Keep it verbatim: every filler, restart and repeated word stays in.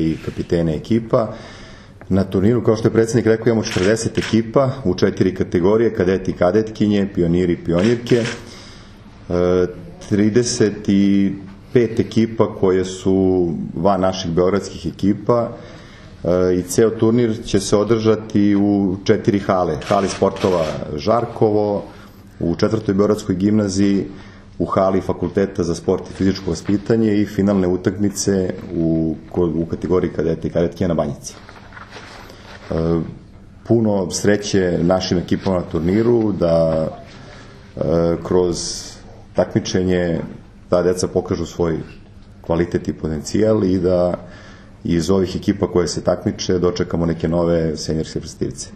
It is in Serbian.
i kapitene ekipa. Na turniru, kao što je predsjednik rekao, imamo četrdeset ekipa u četiri kategorije, kadeti i kadetkinje, pioniri i pionirke, trideset pet ekipa koje su van naših beogradskih ekipa i ceo turnir će se održati u četiri hale. Hali sportova Žarkovo, u četvrtoj beogradskoj gimnaziji, u hali Fakulteta za sport i fizičko vaspitanje i finalne utakmice u, u kategoriji kadeta i kadetkinja na Banjici. Puno sreće našim ekipama na turniru da kroz takmičenje ta deca pokažu svoj kvalitet i potencijal i da iz ovih ekipa koje se takmiče dočekamo neke nove seniorske predstavnice.